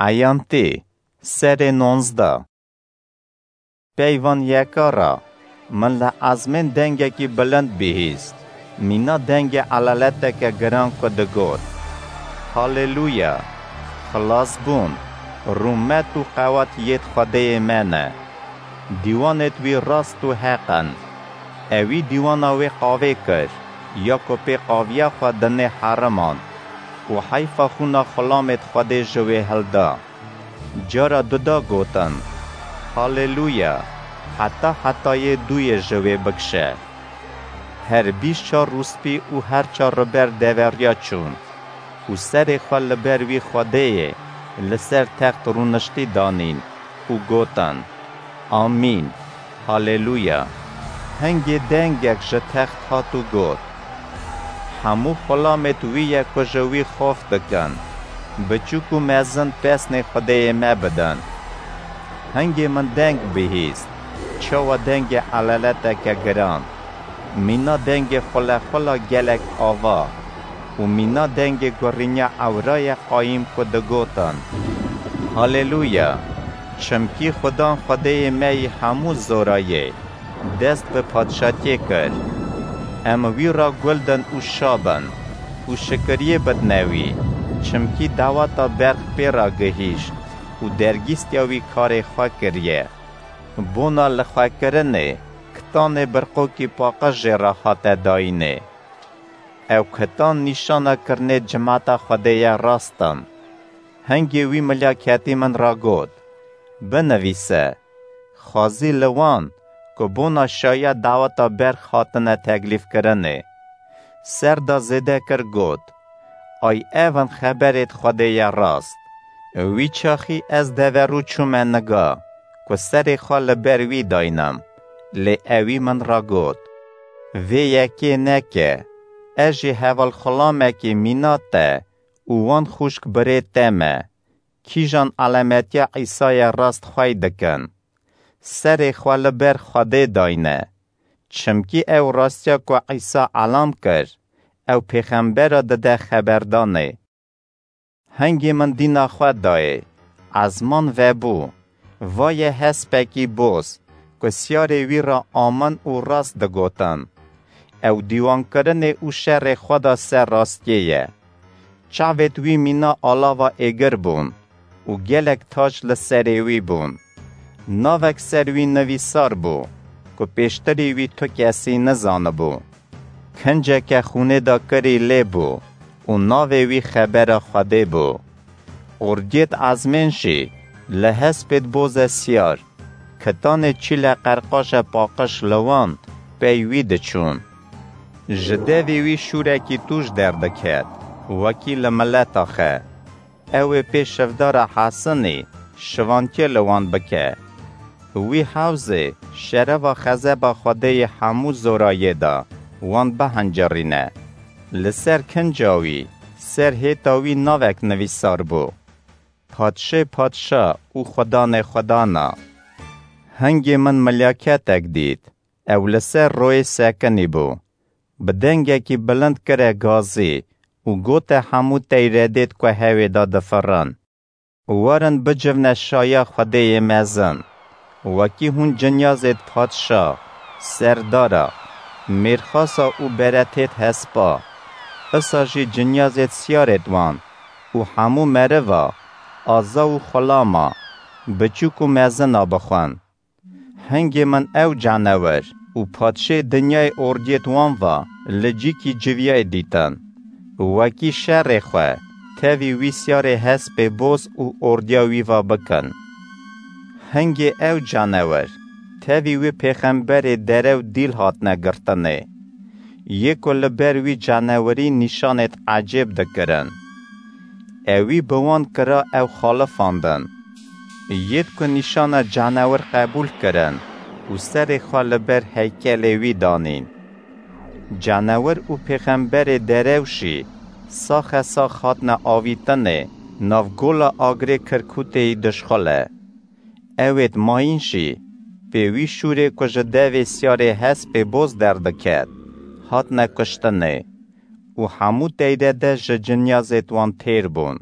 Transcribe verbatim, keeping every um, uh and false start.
Eyantê, serê nonzdeh. Peyvan yeka ra, min li ezmên dengekî bilind bihîst. Mîna dengê elaleteke giran ku digot: Haleluya! Xilasbûn, rûmet û qewat yêt Xwedêyê me ne. Dîwanêt wî rast û heq in. Ewî dîwana wê qavê kir, ya ku pê qaviya xwe dinê heriman û heyfa xûna xulamêt Xwedê ji wê hilda. Cara duda gotin: Haleluya! Heta hetayê dûyê ji wê bikişe. Her bîst çar rûspî û her çar riber deveriya çûn û serê xwe li ber wî Xwedêyê li ser text rûniştî danîn û gotin: Amîn, Haleluya! Hingê dengek ji text hat û got: Hemû xulamêt wî ye ku ji wî xof dikin, biçûk û mezin pesnê Xwedêyê me bidin. Hingê min deng bihîst, çawa dengê elaleteke giran, mîna dengê xulexula gelek ava û mîna dengê gurînya ewraya qayîm ku digotin: Haleluya! Çimkî Xudan Xwedêyê me yî hemû zorayê, dest bi padşatiyê kir. Em wî ra gul din û şa bin û şikiriyê bidne wî, çimkî daweta berx pê ra gihîşt û dergîstiya wî karê xwe kiriye. Bona li xwe kirinê, kitanê birqokî paqij jê re hate dayînê. Ew kitan nîşana kirinê cimata Xwedê ye rast in. Hingê wî milya ketî min ra got: Binivîse, xwezî li wan ku bona şaya daweta berx hatine teklîfkirinê. Ser da zêde kir got: Ay ev in xeberêt Xwedê ye rast. Wî çaxî ez deverû çûme niga ku serê xwe li ber wî daynim, lê ewî min ra got: Vê yekê neke, ez jî hevalxulamekî mîna te û wan xwişk birê te me, kîjan elametiya Îsayê rast xwey dikin. Serê xwe li ber Xwedê dayne. Çimkî ew rastiya ku Îsa elam kir, ew pêxembera dide xeberdanê. Hingê min dîna xwe dayê, ezman vebû: Vaye hespekî boz, ku siyarê wî re amin û rast digotin. Ew dîwankirinê û şerê xwe da ser rastiyê ye. Çavêt wî mîna alava êgir bûn û gelek tac li serê wî bûn. Navek ser wî nivîsar bû, ku pêştirî wî tu kesî nizanibû. Kinceke xûnê da kirî lê bû û navê wî Xebera Xwedê bû. Ordiyêt ezmên jî li hespêt boze siyar, kitanê çîle qerqaje paqij li wan pey wî diçûn. Ji devê wî şûrekî tûj derdiket, wekî li mileta xe. Ew ê pê şivdara hesinî şivantiye li wan bike. Wî hewzê şereva xezeba Xwedê yê hemû zorayê da wan bihincirîne. Li ser kinca wî, ser hêta wî navek nivîsar bû: Padşê padşa û Xudanê xudana. Hingê min milyaketek dît, ew li ser royê sekinî bû. Bi dengekî bilind kire gazî û gote hemû teyredêt ku hewê de difirin: Werin bicivne şaya Xwedêyê mezin. Wekî hûn cinyazêt padşa, serdara, mêrxasa û beretêt hespa, isa jî cinyazêt siyarêt wan û hemû meriva, aza û xulama, biçûk û mezina bixwin. Hingê min ew canewir û padşê dinyayê ordiyêt wan va li cîkî civiyayê dîtin. Wekî şerê xwe tevî wî siyarê hespê boz û ordiya wî va bikin. Hingê ew canewir tevî wî pêxemberê derew dîl hatine girtinê. Yê ku li ber wî canewirî nîşanêt ecêb dikirin. Ewî bi wan kira ew xalifandin. Yêt ku nîşana canewir qebûl kirin û serê xwe li ber heykelê wî danîn. Canewir û pêxemberê derew jî saxe sax hatine avîtinê nav gola agirê Kirkûtê yî dişxule. Ewêt mayîn jî pê wî şûrê ku ji devê siyarê hespê boz derdiket, hatine kuştinê û hemû teyrede ji cinyazêt wan têr bûn.